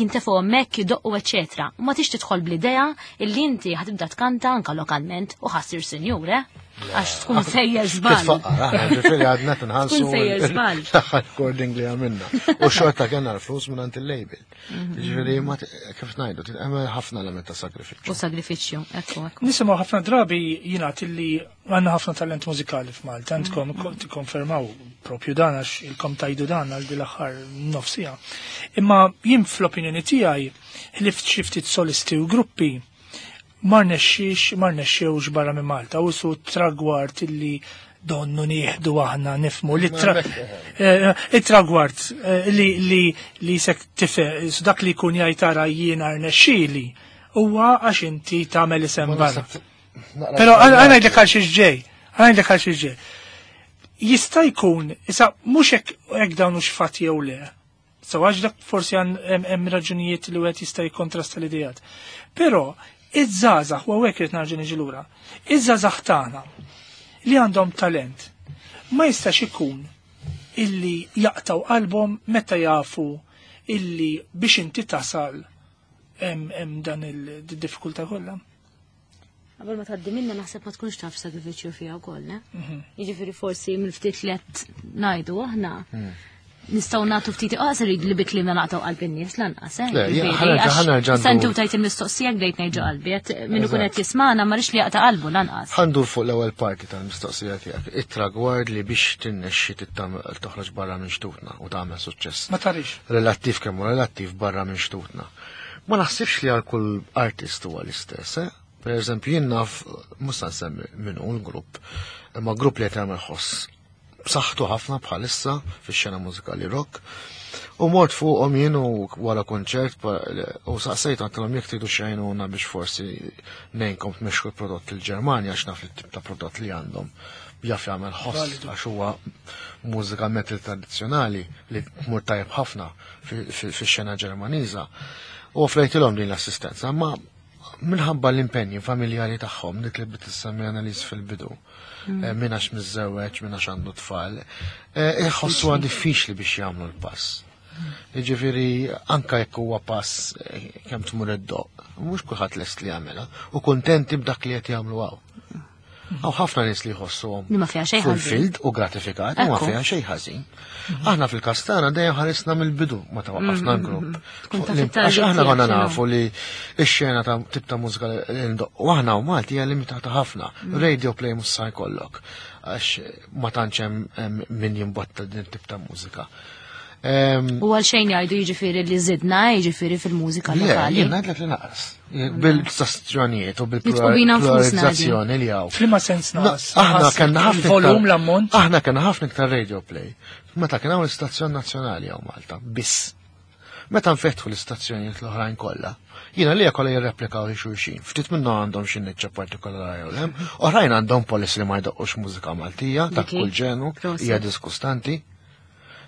Jintefgħu hemmhekk jidoqqu eċċetera. U ma tix tidħol bl-idea illi inti ħatibda tkanta anka lokalment u ħassir sinjur, eh? Għax tkun sejjer żball. Titfaqqar, aħna ġifieri għadna tinħallsu Tkun sejjer żball. l-aħħar recording li għamilna. U xorta kellna l-flus minn għand il-label. Ġifieri ma kif ngħidu, hemm ħafna element ta' sagrifiċċju. U sagrifiċċju, ekku, ekku. Nisimgħu ħafna drabi jingħad illi għandna ħafna talent mużikali f'Malta, għandkom tikkonfermaw propju dan għax ilkom tajdu dan għal din l-aħħar nofsija. Imma jien fl-opinjoni tiegħi ħlift xi ftit solisti u gruppi ma rnexxiex, ma rnexxewx barra minn Malta, u su tragward illi donnu nieħdu aħna nifmu li it-tragward li sek tife, su dak li jkun jgħid tara jiena rnexxieli huwa għax inti tagħmel isem barra. Però għana ngħidlek għal xiex ġej, għana ngħidlek għal xiex ġej. Jista' jkun, issa mhux hekk dawn hux fatt jew le. So għax dak forsi hemm raġunijiet li wieħed jista' jikkontrasta l-idejat. Però iż-żgħażagħ, u hawnhekk irid nerġa' niġi lura, iż-żgħażagħ tagħna li għandhom talent. Ma jistax ikun illi jaqtaw qalbhom meta jafu illi biex inti tasal hemm dan il-diffikultà kollha. Qabel ma tgħaddi minna naħseb ma tkunx taf sagrifiċċju fiha wkoll, ne? Jiġifieri forsi mill-ftit li qed ngħidu aħna nistgħu nagħtu ftit iqas irid li bi kliemna naqtgħu qalb in-nies lanqas, eh? Le, Jiġifieri, ħanerġa' għax ħanerġa' issa inti ndur. u tajt il-mistoqsija bdejt ngħid ġo qalbi, qed min ikun Eżatt. qed jismagħna ma rridx li jaqta' qalbu lanqas. Ħandur fuq l-ewwel parti tal-mistoqsija tiegħek. It-tragward li biex tinnexxi toħroġ barra minn xtutna u tagħmel suċċess. Ma tarix. Relattiv kemm hu relattiv barra minn xtutna. Ma naħsibx li għal kull artist huwa l-istess, eh? Per eżempju, jien naf, mhux se nsemmi min hu l-grupp, imma grupp li qed jagħmel ħoss b'saħħtu ħafna bħalissa fix-xena mużikali rock. U mort fuqhom jien u wara konċert u saqsejt għedtilhom jekk tridu xejnuna biex forsi ngħinkom tmexxu l-prodott il-Ġermanja għax naf li tip ta' prodott li għandhom jaf jagħmel ħoss Validu. għax huwa mużika metal tradizzjonali li tmur tajjeb ħafna fix-xena Ġermaniża. U offrejtilhom din l-assistenza, ma minħabba l-impenji familjari tagħhom dik li bdiet issemmi Annalise fil-bidu. Min għax miżżewweġ, min għax għandu tfal, iħossuha diffiċli biex jagħmlu l-pass. Jiġifieri anka jekk huwa pass kemm tmur id-doq, mhux kulħadd lest li jagħmilha u kuntenti b'dak li qed jagħmlu hawn. Hawn ħafna nies li jħossuhom Li ma fiha xejn ħażin. fulfilled u gratifikat, u ma fiha xejn ħażin. Aħna fil-każ tagħna dejjem ħarisna mill-bidu meta waqqafna l-grupp. Tkun taf Għax it-target aħna konna tiegħek x'inhu. nafu li x-xena ta' tip ta' mużika li ndoqqu aħna u Malti hija limitata ħafna. Radio play mhux sa jkollok għax ma tantx hemm min jimbotta din tip ta' mużika. U għal xejn jgħidu jiġifieri li żidna jiġifieri fil-mużika Le, lokali. jien ngħidlek li naqas. Bil-stazzjonijiet u Nitqu bina nfusna bil-pluralizzazzjoni li hawn. F'liema sens naqas? Aħna Naqas kellna ħafna il-volum, l-ammont. Aħna kellna ħafna iktar radio play. Meta kien hawn l-istazzjon nazzjonali hawn Malta, biss. Meta nfetħu l-istazzjonijiet l-oħrajn kollha, jiena li kollha jirreplikaw li xulxin. Ftit minnhom għandhom xi niċċa partikolari jew hemm, oħrajn għandhom policy li ma jdoqqux mużika Maltija ta' Dik hi. kull ġenu, Prosit. hija diskustanti.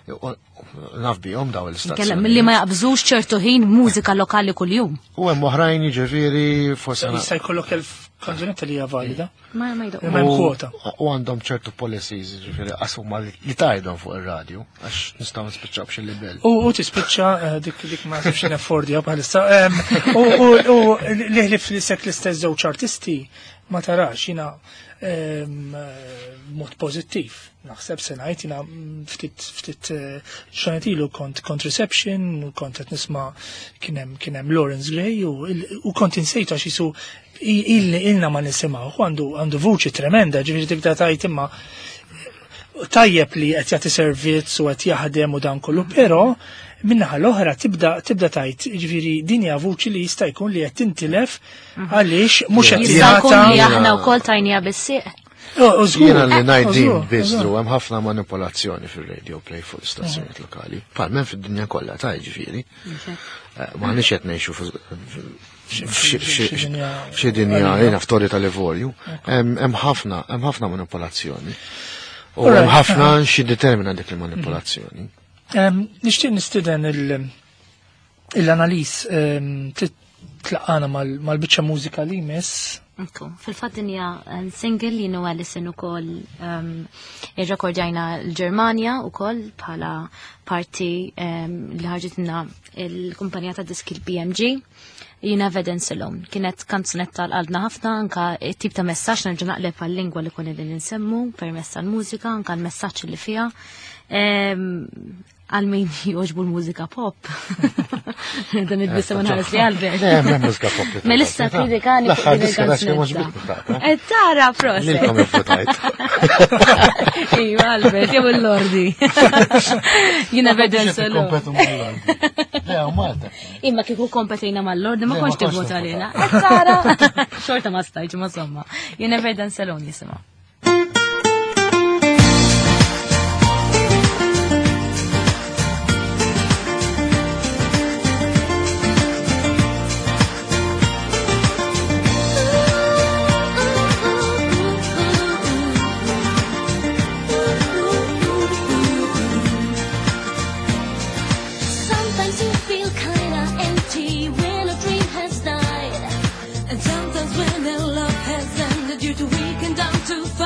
Naf bihom daw Nkellem l-istazzjonijiet. milli ma jaqbżux ċertu ħin mużika lokali kuljum. U hemm oħrajn jiġifieri forsi Jista' jkollok 1000 kanzunetta li hija valida. Ma jdoqqu. Imma hemm kwota. U għandhom ċertu policies, jiġifieri qasuma li tajdhom fuq ir-radju, għax nistgħu nispiċċaw b'xi libel. U tispiċċa dik ma nafx neffordja bħalissa. U li ħlif li sekk l-istess żewġ artisti ma tarax jiena mod pożittiv. Naħseb se ngħid jiena ftit ġranet ilu kont reception u kont qed nisma' kien hemm Lawrence Gray u kont insejtu għax jisu ilna ma nisimgħu għandu vuċi tremenda, ġifieri tibda tajt imma tajjeb li qed jagħti servizz u qed jaħdem u dan kollu, però minnaħa l-oħra tibda tajt, ġifieri din hija vuċi li jista' jkun li qed tintilef għaliex mhux qed Jista' jkun li jingħata. aħna wkoll tajnija bis-sieq. U żgur. Jiena li ngħid din Żgur, biss, żgur. Drew, hemm ħafna manipolazzjoni fir-radio play fuq l-istazzjonijiet lokali. Palmen fid-dinja kollha ta' ġifieri. M'aħniex qed ngħixu Xi dinja f'xi dinja jiena f'torri tal-Livorju. Hemm ħafna manipolazzjoni. U hemm ħafna xi determina dik il-manipolazzjoni. Nixtieq nistieden il-Annalise tlaqana mal-biċċa mużika li jmiss. Ekku, fil-fatt din hija single li nu Alison ukoll irrekordjajna l-Ġermanja ukoll bħala parti li ħarġitilna l-kumpanija ta' diski l-BMG. Jina Evidence Alone. Kienet kanzunetta l-qalbna ħafna, anka tip ta' messaġġ nerġa' naqleb għal-lingwa li konna qegħdin insemmu permezz tal-mużika, anka l-messaġġ li fiha. Għal min jogħġbu l-mużika pop. Dan id-bissa ma nħares li Albert. Le, hemm mużika pop li Melissa togħġobni, ta' kritikani fuq L-aħħar din diska ta' xi mhux il-kanzunetta. bitni ta' Tara, proset. Lilkom ivvutajt. Iva, Albert, jew il-Lordi. Jina Evidence Alone. Kompetu mal-Lordi. Le, u Malta. Imma kieku kompetejna mal-Lordi, ma Le, ma kontx kontx tivvota nivvota. lilna. Tara, xorta ma stajtx, ma somma. Jina Evidence Alone jisimha. Sometimes you feel kind of empty when a dream has died. And sometimes when a love has ended, you're too weak and down to fight.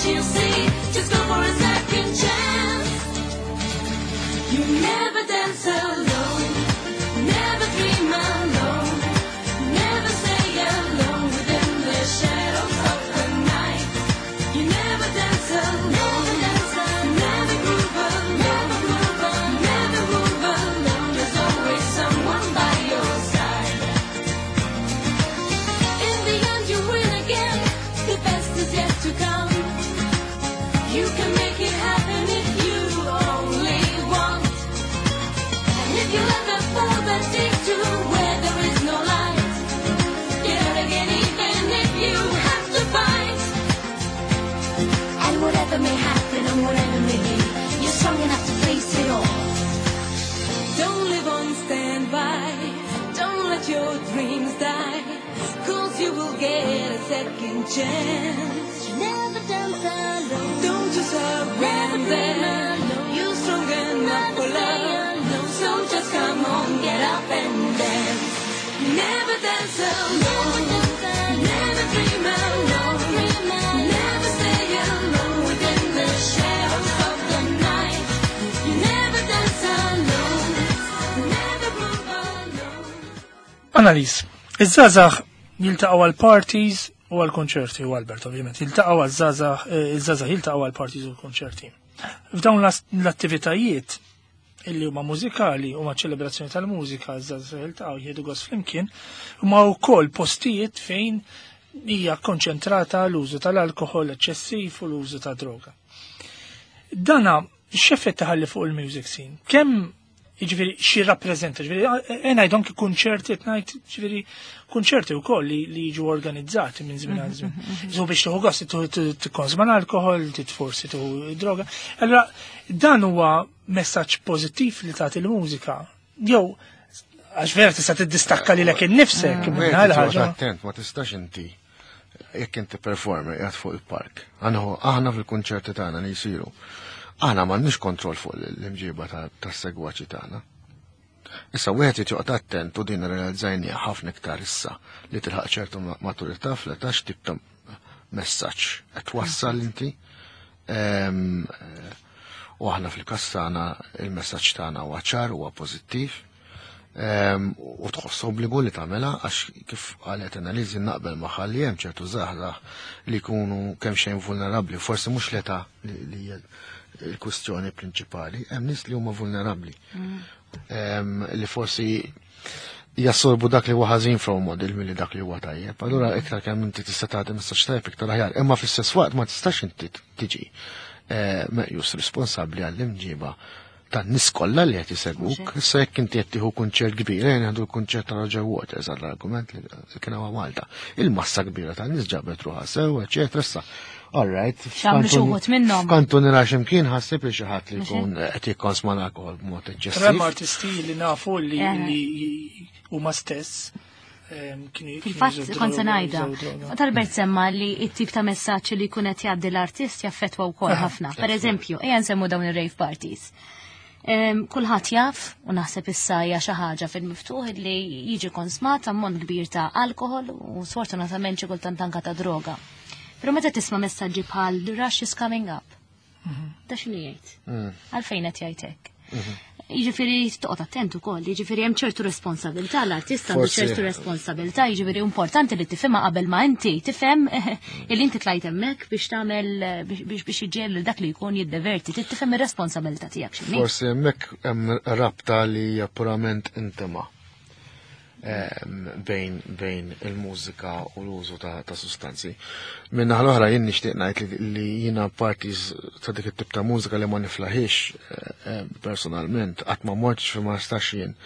you'll see. Just go for a second chance. You never dance alone, never dream alone, never stay alone within the shadows of the night. You never dance alone, never groove alone, never move alone. There's always someone by your side. In the end, you win again. The best is yet to come. You can make it happen if you only want. And if you ever fall that deep to where there is no light, get out again even if you have to fight. And whatever may happen and whatever may be, you're strong enough to face it all. Don't live on standby. Don't let your dreams die. 'Cause you will get a second chance. You never dance alone. Don't you surrender. You're strong enough for love. So just come on, get up and dance. Never dance alone. Never dream alone. Never stay alone within the shadows of the night. You never dance alone. Never move alone. Annalise, iż-żgħażagħ jiltaqgħu għal parties u għal konċerti u Albert ovvjament, jiltaqgħu għal żgħażagħ, iż-żgħażagħ jiltaqgħu għal parties u konċerti. F'dawn l-attivitajiet illi huma mużikali huma ċelebrazzjoni tal-mużika, iż-żgħażagħ jiltaqgħu jieħdu gost flimkien, huma wkoll postijiet fejn hija konċentrata l-użu tal-alkoħol eċċessiv u l-użu ta' droga. Dana x'effett taħalli fuq il-music scene? Kemm jiġifieri xi rappreżenta, jiġifieri ngħid anki kunċerti qed ngħid jiġifieri kunċerti wkoll li jiġu organizzati minn żmien għal żmien. So biex tieħu gost tikkonsma l-alkoħol, forsi tieħu droga. Allura dan huwa messaġġ pożittiv li tagħti l-mużika. Jew għax vera tista' tiddistakka lilek innifsek minn Wieħed ħaġa. Attent, ma tistax inti jekk inti performer qiegħed fuq il-park. Aħna fil-kunċerti tagħna li jsiru. Aħna m'għandniex kontroll fuq l-imġiba tas-segwaċi tagħna. Issa wieħed irid joqgħod attent u din realizzajniha ħafna iktar issa li tilħaq ċertu maturità fl-età x'tip ta' messaġġ qed twassal inti. U aħna fil-każ tagħna il-messaġġ tagħna huwa ċar, huwa pożittiv. U tħoss obbligu li tagħmilha għax kif qalet Annalise naqbel magħha li hemm ċertu żgħażagħ li jkunu kemm xejn vulnerabbli, forsi mhux l-età li hija l-kwistjoni prinċipali, hemm nies li huma vulnerabbli. Li forsi jassorbu dak li huwa ħażin from model milli dak li huwa tajjeb. Allura iktar kemm inti tista' tagħti messaġġ tajjeb iktar aħjar, imma fl-istess waqt ma tistax inti tiġi meqjus responsabbli għall-imġiba tan-nies kollha li qed isegwuk. Issa jekk inti qed tieħu kunċert kbir, ejja nieħdu l-kunċert ta' Roger Waters għall-argument li kien hawn Malta. Il-massa kbira tan-nies ġabet ruħha sew, eċetera. Issa, all right, X'għamlu xi wħud minnhom. F'kantu nira x'imkien ħassib li xi ħadd li jkun qed jikkonsma l-alkoħol b'mod eċċessiv. Hemm artisti li nafu li huma stess kienu Fil-fatt jużaw kont se droga, ngħidha. jużaw droga. Talbert semma li t-tip ta' messaġġ li jkun qed jgħaddi l-artist jaffettwa wkoll ħafna. Per eżempju, ejja nsemmu dawn ir-rave parties. Kulħadd jaf u naħseb issa hija xi ħaġa fil-miftuħ li jiġi konsmat ammont kbir ta' alkoħol u sfortunatament xi kultant anka ta' droga. Però meta tisma' messaġġi bħal "The rush is coming up", da x'inhu jgħid? Għalfejn qed jgħid hekk? Jiġifieri toqgħod attent ukoll, jiġifieri hemm ċertu responsabilità, l-artist għandu ċertu responsabilità, jiġifieri importanti li tifhimha qabel ma inti tifhem illi inti tlajt hemmhekk biex tagħmel biex iġġiegħel dak li jkun jiddeverti, trid tifhem ir-responsabilità tiegħek x'inhi. Forsi hemmhekk hemm rabta li hija purament intima bejn il-mużika u l-użu ta' sustanzi. Minna l-oħra jien nixtieq ngħid li jiena parties ta' dik it-tip ta' mużika li ma niflaħix personalment, qatt ma mortx fi ma nistax jien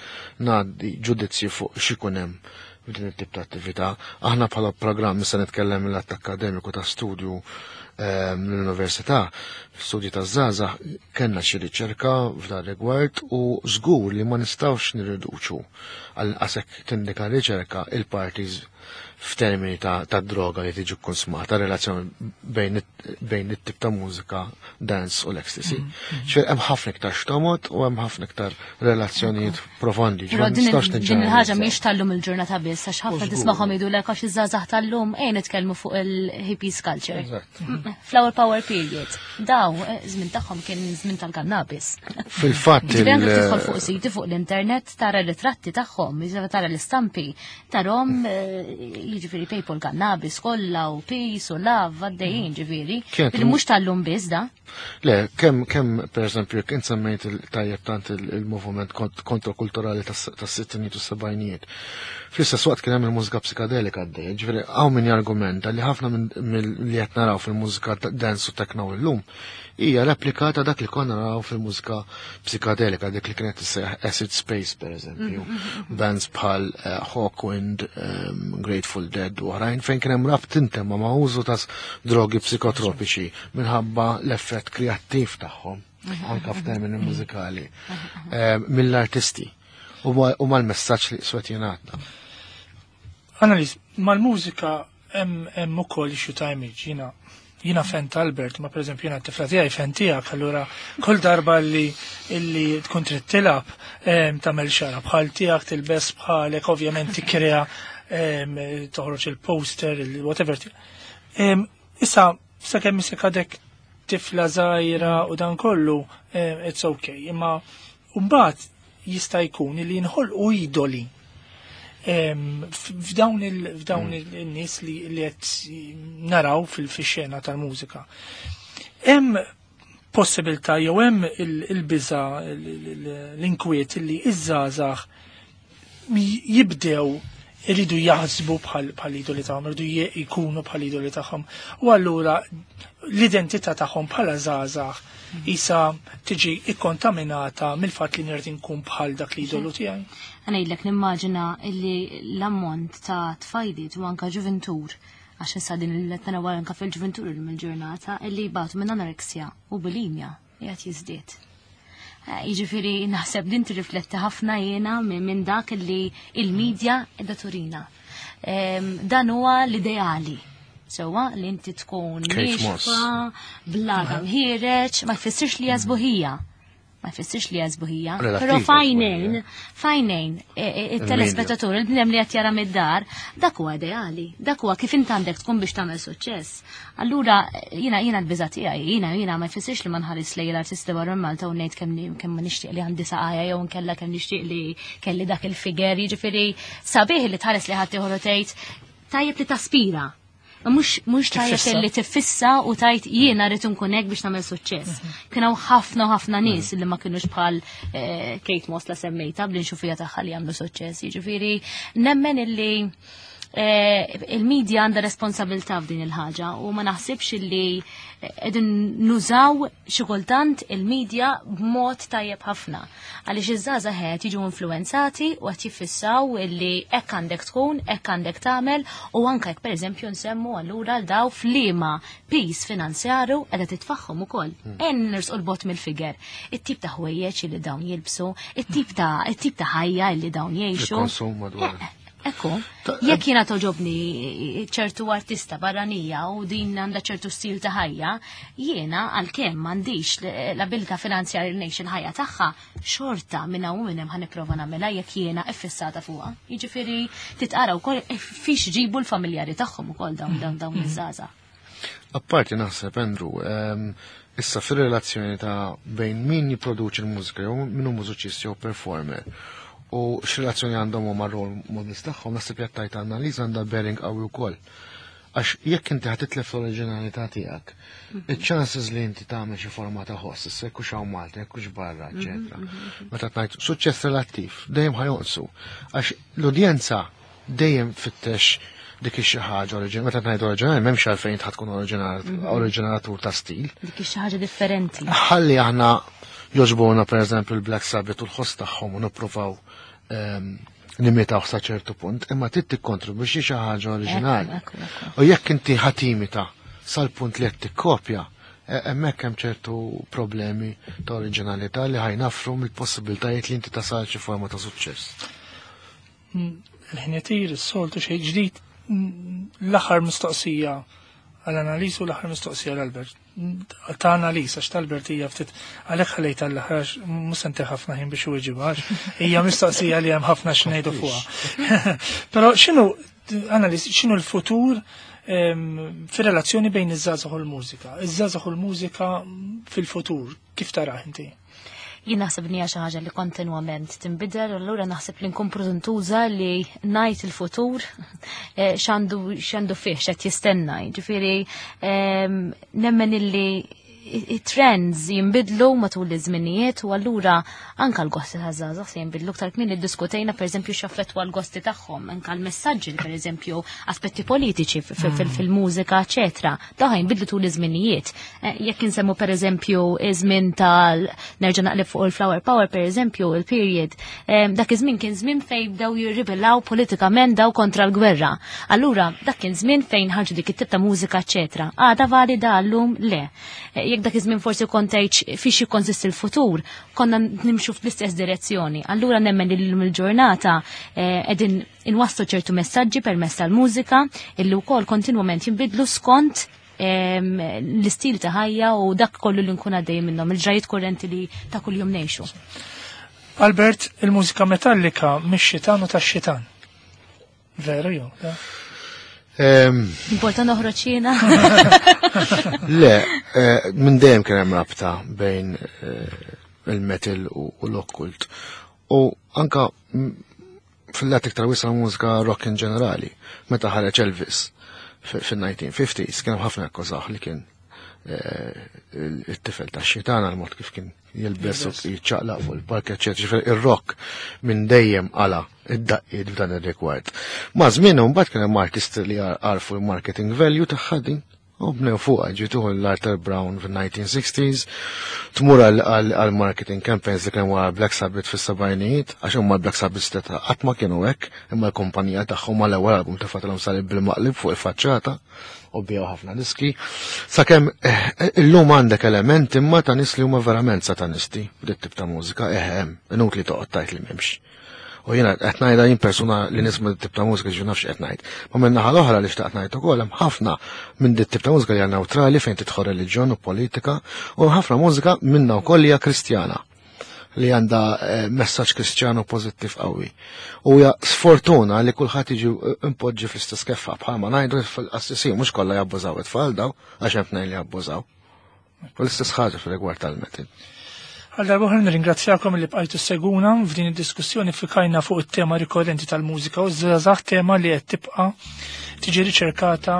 ngħaddi ġudizzju fuq x'ikun hemm f'din it-tip ta' attività. Aħna bħala programm issa nitkellem mill-att akkademiku ta' studju l-università, studji ta' żgħażagħ, kellna xi riċerka f'dan rigward u żgur li ma nistgħux nirriduċu għal qasek tindika riċerka il-parties f'termini ta' droga li tiġi konsumata, relazzjoni bejn it-tip ta' mużika, dance u l-ecstasy. Ċfer hemm ħafna iktar xtomot u hemm ħafna iktar relazzjonijiet profondi. Però Ġifieri nistax din niġġeneralizzaw. il-ħaġa mhix tal-lum il-ġurnata biss, għax ħafna Żgur. tismagħhom jgħidulek għax iż-żgħażagħ tal-lum ejja nitkellmu fuq il-hippies culture. Flower power period. Daw, żmien tagħhom kien żmien tal-kannabis. Fil-fatt. Ġifieri anke tidħol fuq siti fuq l-internet tara ritratti tagħhom, jiġifieri tara l-istampi, tarhom jiġifieri people kannabis kollha u peace u love għaddejjin ġifieri. Li mhux tal-lum biss da. Le, kemm pereżempju jekk int semmejt il-tajjeb tant il-moviment kontrakulturali tas-sittinijiet u s-sebgħinijiet. Fl-istess waqt kien hemm il-mużika psikadelika għaddejja, ġifieri hawn min jargumenta li ħafna minn li qed naraw fil-mużika dance u techno illum hija replika ta' dak li konna naraw fil-mużika psikadelika, dik li kienet tissejjaħ acid space pereżempju. Bands bħal Hawkwind, Grateful Dead u oħrajn fejn kien hemm rabt intemma ma' użu ta' drogi psikotropiċi minħabba l-effett kreattiv tagħhom anka f'termini mużikali mill-artisti u mal-messaġġ li swet jingħata. Annalise, mal-mużika hemm ukoll issue ta' image, jiena fan ta' Albert, ma pereżempju jiena t-tifla tiegħi fan tiegħek, allura kull darba li illi tkun trid tilgħab tagħmel xara bħal tiegħek, tilbes bħalek, ovvjament tikkrea toħroġ il-poster, il-whatever. Issa, sakemm isek għadek tifla żgħira u dan kollu, it's okay, imma mbagħad jista' jkun li jinħolqu idoli f'dawn il-nies li qed naraw fil-xena tal-mużika. Hemm possibilità jew hemm il-biża l-inkwiet li iż-żgħażagħ jibdew iridu jaħsbu bħal idoli tagħhom, iridu jkunu bħal idoli tagħhom. U allura l-identità tagħhom bħala żgħażagħ isa tiġi ikkontaminata mill-fatt li nirrid inkun bħal dak l-idolu tiegħi. Ngħidlek nimmaġina illi l-ammont ta' tfajliet u anka ġuventur, għax issa din il-tana anka fil-ġuventur il-ġurnata, illi jbatu minn anoreksja u bulimja qiegħed jiżdied. Jiġifieri naħseb din tirrifletti ħafna jiena minn dak li il-medja qiegħda turina. Dan huwa l-ideali. Sewwa li inti tkun Kate Moss. niexfa, bla ħiereġ, ma jfissirx li jażbuħija. Ma jfissirx li jażbuħija. Relattiv Però jażbuħija. fajnejn, il-telespettatur, il-bniedem li qed jara mid-dar, dak huwa ideali, dak huwa kif int għandek tkun biex tagħmel suċċess. Allura jiena l-biża' tiegħi, jiena ma jfissirx li ma nħares lejn l-artisti barra Malta u ngħid kemm ma nixtieq li għandi saqajja jew nkella kemm nixtieq li kelli dak il-figer, jiġifieri sabiħ li tħares li ħadd ieħor u tgħid tajjeb li taspira. Mhux tajjeb Tiffissa. li tiffissa u tajt jiena rrid inkun hekk biex nagħmel suċċess. Kien hawn ħafna u ħafna nies li ma kinux bħal Kate Moss la semmejta bl-inxufija tagħha li jagħmlu suċċess. Jiġifieri nemmen illi il-medja għandha responsabilità f'din il-ħaġa u ma naħsibx illi qegħdin nużaw xi kultant il-medja b'mod tajjeb ħafna. Għaliex iż-żgħażagħ qed jiġu influenzati u qed jiffissaw illi hekk għandek tkun, hekk għandek tagħmel u anke jekk pereżempju nsemmu allura l daw f'liema piż finanzjaru qiegħda titfaħħom ukoll. En nirsqu l-bot mill-figer. It-tip ta' ħwejjeġ li dawn jilbsu, it-tip ta' ħajja li dawn jgħixu. Il-konsum madwar. Ekku, jekk jiena toġobni ċertu artista barranija u din għandha ċertu stil ta' ħajja, jiena għalkemm m'għandix l-abilità finanzjarja li ngħix il-ħajja tagħha, xorta minn hawn u minn hemm ħa nipprova nagħmilha jekk jiena iffissata fuqha. Jiġifieri titqara wkoll fiex ġibu l-familjari tagħhom ukoll dawn iż-żgħażagħ. Apparti naħseb, Andrew, issa fir-relazzjoni ta' bejn min jipproduċi l-mużika jew min hu mużiċist jew performer u x'relazzjoni għandhom huma role models tagħhom, naħseb jekk tajt Annalise għandha bearing qawwi wkoll. Għax jekk inti ħa titlef l-oriġinalità tiegħek, iċ-chances li inti tagħmel xi forma ta' ħoss, issa jekk hux hawn Malta, jekk hux barra, eċetera. Meta tgħid suċċess relattiv, dejjem ħajonqsu. Għax l-udjenza dejjem fittex dik xi ħaġa oriġinali. Meta ngħid oriġinali m'hemmx għalfejn ħadd tkun oriġinatur ta' stil. Dik xi ħaġa differenti. Ħalli aħna joġbuna pereżempju l-Black Sabbath u l-ħoss tagħhom u nippruvaw nimitaw sa ċertu punt, imma trid tikkontribwixxi xi ħaġa oriġinali. Ekku. U jekk inti ħatimita sal-punt li qed tikkopja, hemmhekk hemm ċertu problemi ta' oriġinalità li ħajnafru mill-possibiltajiet li inti tasal xi forma ta' suċċess. Il-ħin itir, is-soltu xejn ġdid, l-aħħar mistoqsija għal Annalise u l-aħħar mistoqsija għal Albert. Ta' Annalise, għax ta' Albert hija ftit għalhekk ħallejt għall-aħħar għax mhux se ntih ħafna ħin biex iweġibha għax hija mistoqsija li hemm ħafna x'ngħidu fuqha. Però x'inhu Annalise, x'inhu l-futur fir-relazzjoni bejn iż-żgħażagħ u l-mużika? Iż-żgħażagħ u l-mużika fil-futur, kif tarah inti? Jien naħseb li hija xi ħaġa li kontinwament tinbidel, allura naħseb li nkun prudentuża li ngħid il-futur x'għandu x'għandu fih x'qed jistenna. Jiġifieri nemmen illi it-trends jinbidlu matul iż-żminijiet u allura anka l-gosti ta' żgħażagħ se jinbidlu aktar kmieni ddiskutejna pereżempju x'affettwa l-gosti tagħhom, anka l-messaġġi pereżempju aspetti politiċi fil-mużika, eċetera. Dawn jinbidlu tul iż-żminijiet. Jekk insemmu pereżempju iż-żmien tal nerġa' naqleb fuq il-Flower Power pereżempju il-period, dak iż-żmien kien żmien fejn bdew jirribellaw politikament daw kontra l-gwerra. Allura dak kien żmien fejn ħarġu dik it-tip ta' mużika, eċetera. Għada valida llum le. Jekk dak iż-żmien forsi kont tgħid fiex jikkonsisti l-futur, konna nimxu fl-istess direzzjoni. Allura nemmen li llum il-ġurnata qegħdin inwasslu ċertu messaġġi permezz tal-mużika illi wkoll kontinwament jinbidlu skont l-istil ta' ħajja u dak kollu li nkun għaddej minnhom, il-ġrajiet kurrenti li ta' kuljum ngħixu. Albert, il-mużika metallika mix-xitan u tax-xitan. Veru jew? Importa noħroġ jiena. Le, minn dejjem kien hemm rabta bejn il-metal u l-okkult. U anka fil-lat iktar wiesa' mużika rock in ġenerali, meta ħareġ Elvis fil-1950s, kien hemm ħafna akkużaw li kien it-tifel ta' xitan għal mod kif kien jilbes u jiċċaqlaq fuq il-park, eċetera. Ġifieri ir-rock minn dejjem qala id-daqqiet f'dan ir-rigward. Ma' żmien mbagħad kien hemm artisti li għarfu l-marketing value tagħha din u bnew fuqha, ġietuħu l-Arthur Brown fil-1960s, tmur għal marketing campaigns li kien wara Black Sabbath fis-sebgħinijiet, għax huma Black Sabbath steta qatt ma kienu hekk, imma l-kumpanija tagħhom mal-ewwel album tefatilhom salib bil-maqlib fuq il-faċċata u biegħu ħafna diski. Sakemm illum għandek element imma ta' nies li huma verament satanisti b'dit tip ta' mużika, hemm, inutli toqgħod tgħid li m'hemmx. U jiena qed ngħidha jien persuna li nisma' dit tip ta' mużika ġifieri nafx qed ngħid. Ma minn naħa l-oħra li xtaqt ngħid ukoll hemm ħafna minn dit tip ta' mużika li hija neutrali fejn tidħol reliġjon u politika u ħafna mużika minna wkoll hija Kristjana li għandha messaġġ Kristjanu pożittiv qawwi. U hija sfortuna li kulħadd jiġi impoġġi fl-istess keffa bħalma ngħidu fil-qassisin mhux kollha jabbużaw it-tfal daw għax hemm tnejn li jabbużaw. U l-istess ħaġa fil-rigward tal-metal. Għal darba oħra nirringrazzjakom li bqajtu seguna f'din id-diskussjoni fikajna fuq it-tema rikorrenti tal-mużika u żgħażagħ, tema li qed tibqa' tiġi riċerkata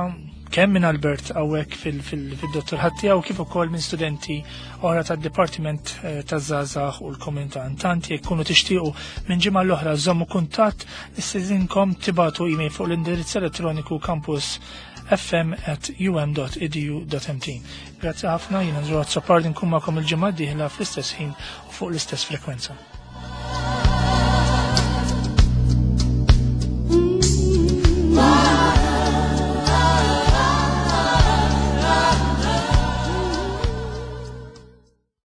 kemm minn Albert hawnhekk fil-dottor ħaddija u kif ukoll minn studenti oħra tad-Dipartiment taż-Żgħażagħ u l-Komunità. Intant jekk kunu tixtiequ minn ġimgħa l-oħra żommu kuntatt, nistedinkom tibatu email fuq l-indirizz elettroniku campus fm@um.edu.mt. Grazzi ħafna, jiena Andrew Azzopardi nkun magħkom il-ġimgħa d-dieħla fl-istess ħin u fuq l-istess frekwenza.